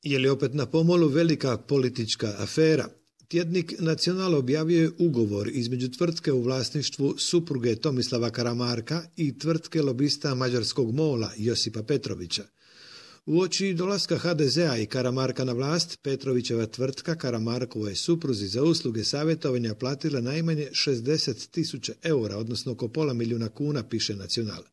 Je li opet na pomolu velika politička afera? Tjednik Nacional objavio je ugovor između tvrtke u vlasništvu supruge Tomislava Karamarka i tvrtke lobista mađarskog MOL-a Josipa Petrovića. Uoči dolaska HDZ-a i Karamarka na vlast, Petrovićeva tvrtka Karamarkovoj supruzi za usluge savjetovanja platila najmanje 60.000 eura, odnosno oko pola milijuna kuna, piše Nacional.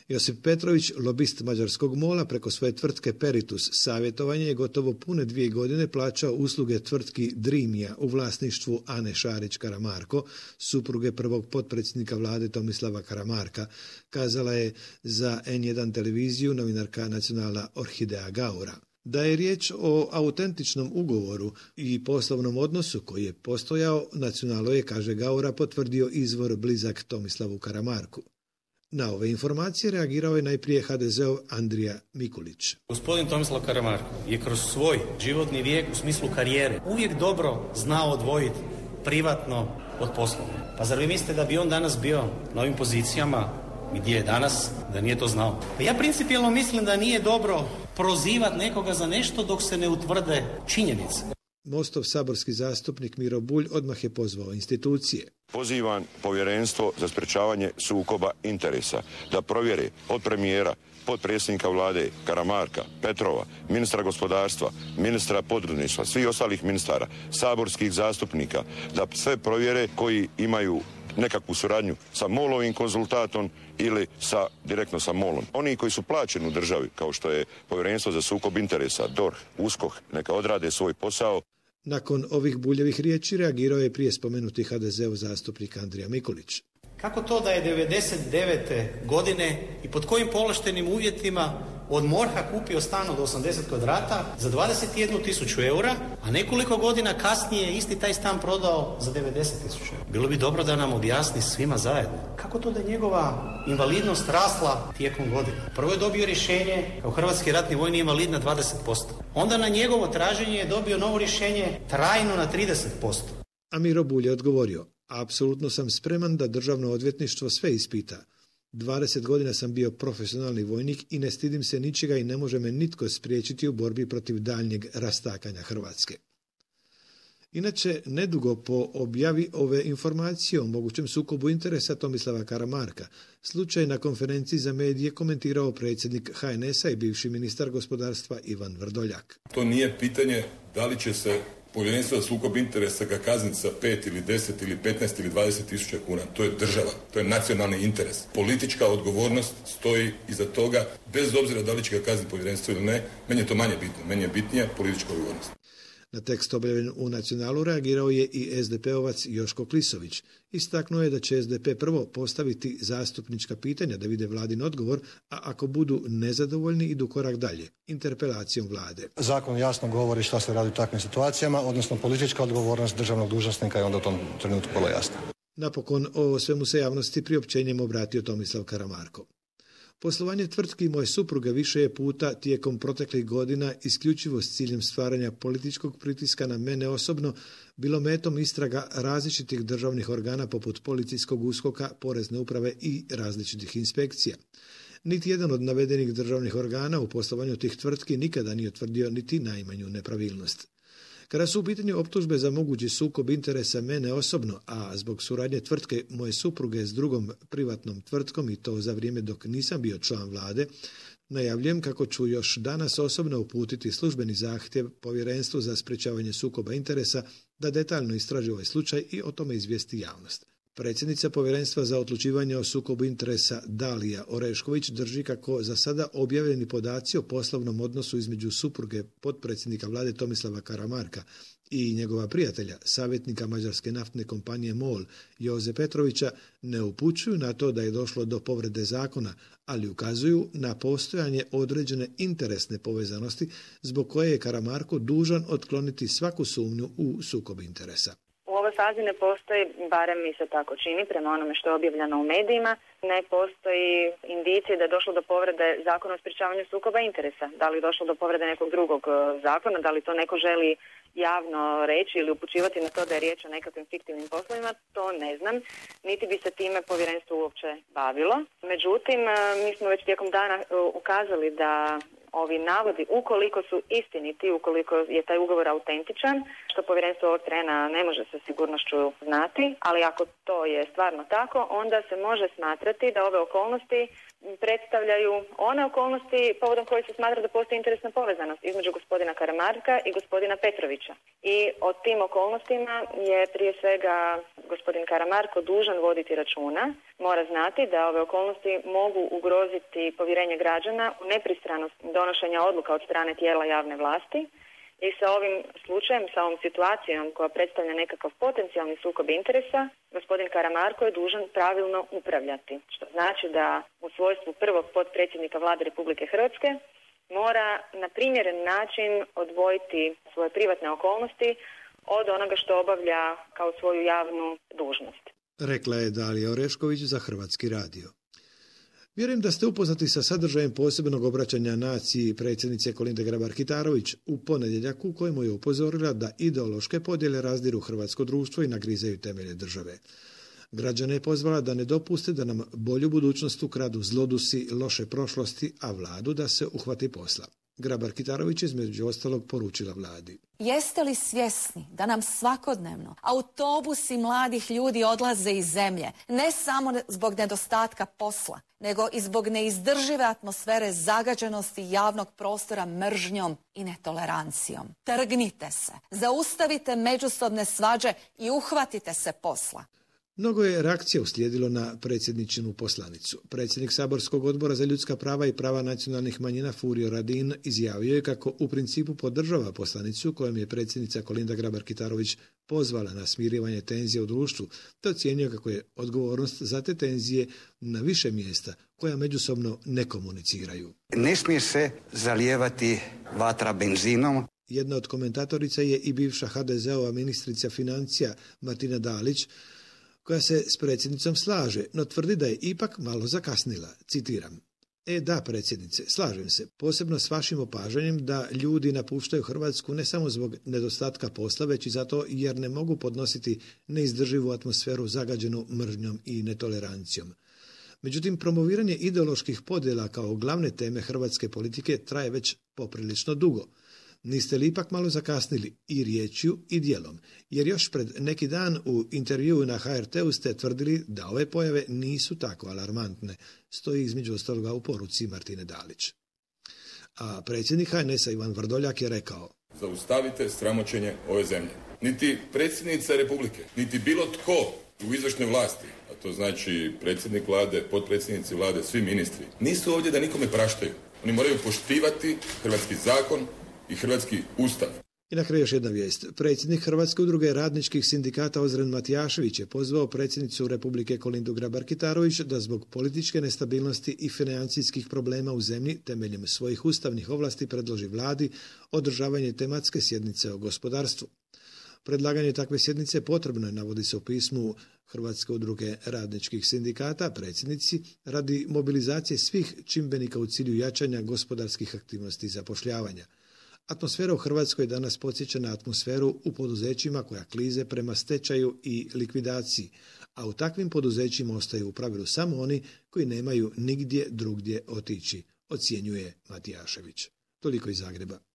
Josip Petrović, lobist mađarskog MOL-a, preko svoje tvrtke Peritus savjetovanje je gotovo pune 2 godine plaćao usluge tvrtki Dreamija u vlasništvu Ane Šarić-Karamarko, supruge prvog potpredsjednika vlade Tomislava Karamarka, kazala je za N1 televiziju novinarka Nacionala Orhidea Gaura. Da je riječ o autentičnom ugovoru i poslovnom odnosu koji je postojao, Nacionalo je, kaže Gaura, potvrdio izvor blizak Tomislavu Karamarku. Na ove informacije reagirao je najprije HDZ-ov Andrija Mikulić. Gospodin Tomislav Karamarko je kroz svoj životni vijek u smislu karijere uvijek dobro znao odvojiti privatno od poslovno. Pa zar vi mislite da bi on danas bio na ovim pozicijama gdje je danas, da nije to znao? Pa ja principijelno mislim da nije dobro prozivati nekoga za nešto dok se ne utvrde činjenice. Mostov saborski zastupnik Miro Bulj odmah je pozvao institucije. Pozivam Povjerenstvo za sprečavanje sukoba interesa da provjere od premijera, potpredsjednika vlade Karamarka, Petrova, ministra gospodarstva, ministra poduzetništva, svih ostalih ministara, saborskih zastupnika, da sve provjere koji imaju nekakvu suradnju sa MOL-ovim konzultatom ili direktno sa MOL-om. Oni koji su plaćeni u državi, kao što je Povjerenstvo za sukob interesa, DORH, USKOK, neka odrade svoj posao. Nakon ovih Buljevih riječi reagirao je prije spomenuti HDZ-ov zastupnik Andrija Mikulić. Kako to da je 99. godine i pod kojim povlaštenim uvjetima od MORH-a kupio stan od 80 kvadrata za 21.000 eura, a nekoliko godina kasnije isti taj stan prodao za 90.000 eura? Bilo bi dobro da nam objasni svima zajedno. Kako to da je njegova invalidnost rasla tijekom godina? Prvo je dobio rješenje kao hrvatski ratni vojni invalid na 20%. Onda na njegovo traženje je dobio novo rješenje trajno na 30%. A Miro Bulj je odgovorio: apsolutno sam spreman da državno odvjetništvo sve ispita. 20 godina sam bio profesionalni vojnik i ne stidim se ničega i ne može me nitko spriječiti u borbi protiv daljnjeg rastakanja Hrvatske. Inače, nedugo po objavi ove informacije o mogućem sukobu interesa Tomislava Karamarka, slučaj na konferenciji za medije komentirao predsjednik HNS-a i bivši ministar gospodarstva Ivan Vrdoljak. To nije pitanje da li će se Povjerenstvo za sukob interesa ga kazniti sa 5 ili 10 ili 15 ili 20.000 kuna. To je država, to je nacionalni interes. Politička odgovornost stoji iza toga, bez obzira da li će ga kazniti povjerenstvo ili ne. Meni je to manje bitno, meni je bitnija politička odgovornost. Na tekst objavljen u Nacionalu reagirao je i SDP-ovac Joško Klisović. Istaknuo je da će SDP prvo postaviti zastupnička pitanja da vide vladin odgovor, a ako budu nezadovoljni idu korak dalje, interpelacijom vlade. Zakon jasno govori šta se radi u takvim situacijama, odnosno politička odgovornost državnog dužnosnika je onda u tom trenutku vrlo jasna. Napokon o svemu se javnosti priopćenjem obratio Tomislav Karamarko. Poslovanje tvrtki moje supruge više je puta tijekom proteklih godina isključivo s ciljem stvaranja političkog pritiska na mene osobno bilo metom istraga različitih državnih organa poput policijskog USKOK-a, porezne uprave i različitih inspekcija. Niti jedan od navedenih državnih organa u poslovanju tih tvrtki nikada nije utvrdio niti najmanju nepravilnost. Kada su u pitanju optužbe za mogući sukob interesa mene osobno, a zbog suradnje tvrtke moje supruge s drugom privatnom tvrtkom i to za vrijeme dok nisam bio član vlade, najavljujem kako ću još danas osobno uputiti službeni zahtjev Povjerenstvu za sprečavanje sukoba interesa da detaljno istraži ovaj slučaj i o tome izvijesti javnost. Predsjednica Povjerenstva za odlučivanje o sukobu interesa Dalija Orešković drži kako za sada objavljeni podaci o poslovnom odnosu između supruge potpredsjednika vlade Tomislava Karamarka i njegova prijatelja, savjetnika mađarske naftne kompanije MOL Joze Petrovića, ne upućuju na to da je došlo do povrede zakona, ali ukazuju na postojanje određene interesne povezanosti zbog koje je Karamarko dužan otkloniti svaku sumnju u sukob interesa. U ovoj fazi ne postoji, barem mi se tako čini, prema onome što je objavljeno u medijima, ne postoji indicije da je došlo do povrede zakona o sprječavanju sukoba interesa. Da li je došlo do povrede nekog drugog zakona, da li to neko želi javno reći ili upućivati na to da je riječ o nekakvim fiktivnim poslovima, to ne znam, niti bi se time povjerenstvo uopće bavilo. Međutim, mi smo već tijekom dana ukazali da ovi navodi, ukoliko su istiniti, ukoliko je taj ugovor autentičan, što povjerenstvo ovog trena ne može sa sigurnošću znati, ali ako to je stvarno tako, onda se može smatrati da ove okolnosti predstavljaju one okolnosti povodom koje se smatra da postoji interesna povezanost između gospodina Karamarka i gospodina Petrovića. I o tim okolnostima je prije svega gospodin Karamarko dužan voditi računa. Mora znati da ove okolnosti mogu ugroziti povjerenje građana u nepristranost donošenja odluka od strane tijela javne vlasti. I sa ovim slučajem, sa ovom situacijom koja predstavlja nekakav potencijalni sukob interesa, gospodin Karamarko je dužan pravilno upravljati. Što znači da u svojstvu prvog potpredsjednika Vlade Republike Hrvatske mora na primjeren način odvojiti svoje privatne okolnosti od onoga što obavlja kao svoju javnu dužnost. Rekla je Dalija Orešković za Hrvatski radio. Vjerujem da ste upoznati sa sadržajem posebnog obraćanja naciji predsjednice Kolinde Grabar-Kitarović u ponedjeljak u kojemu je upozorila da ideološke podjele razdiru hrvatsko društvo i nagrizaju temelje države. Građane je pozvala da ne dopuste da nam bolju budućnost ukradu zlodusi loše prošlosti, a vladu da se uhvati posla. Grabar-Kitarović između ostalog poručila vladi. Jeste li svjesni da nam svakodnevno autobusi mladih ljudi odlaze iz zemlje, ne samo zbog nedostatka posla, nego i zbog neizdržive atmosfere zagađenosti javnog prostora mržnjom i netolerancijom. Trgnite se, zaustavite međusobne svađe i uhvatite se posla. Mnogo je reakcija uslijedilo na predsjedničinu poslanicu. Predsjednik Saborskog odbora za ljudska prava i prava nacionalnih manjina Furio Radin izjavio je kako u principu podržava poslanicu kojom je predsjednica Kolinda Grabar-Kitarović pozvala na smirivanje tenzije u društvu, te ocijenio kako je odgovornost za te tenzije na više mjesta koja međusobno ne komuniciraju. Ne smije se zalijevati vatra benzinom. Jedna od komentatorica je i bivša HDZ-ova ministrica financija Martina Dalić, koja se s predsjednicom slaže, no tvrdi da je ipak malo zakasnila. Citiram. Da, predsjednice, slažem se, posebno s vašim opažanjem da ljudi napuštaju Hrvatsku ne samo zbog nedostatka posla, već i zato jer ne mogu podnositi neizdrživu atmosferu zagađenu mržnjom i netolerancijom. Međutim, promoviranje ideoloških podjela kao glavne teme hrvatske politike traje već poprilično dugo. Niste li ipak malo zakasnili i riječju i djelom, jer još pred neki dan u intervjuu na HRT-u ste tvrdili da ove pojave nisu tako alarmantne, stoji između ostaloga u poruci Martine Dalić. A predsjednik HNS-a Ivan Vrdoljak je rekao: Zaustavite sramoćenje ove zemlje. Niti predsjednica Republike, niti bilo tko u izvršnoj vlasti, a to znači predsjednik vlade, potpredsjednici vlade, svi ministri, nisu ovdje da nikome praštaju. Oni moraju poštivati hrvatski zakon i hrvatski ustav. I na kraju još jedna vijest. Predsjednik Hrvatske udruge radničkih sindikata Ozren Matijašević je pozvao predsjednicu Republike Kolindu Grabar-Kitarović da zbog političke nestabilnosti i financijskih problema u zemlji temeljem svojih ustavnih ovlasti predloži vladi održavanje tematske sjednice o gospodarstvu. Predlaganje takve sjednice potrebno je, navodi se u pismu Hrvatske udruge radničkih sindikata predsjednici, radi mobilizacije svih čimbenika u cilju jačanja gospodarskih aktivnosti i zapošljavanja. Atmosfera u Hrvatskoj danas podsjeća na atmosferu u poduzećima koja klize prema stečaju i likvidaciji, a u takvim poduzećima ostaju u pravilu samo oni koji nemaju nigdje drugdje otići, ocjenjuje Matijašević. Toliko iz Zagreba.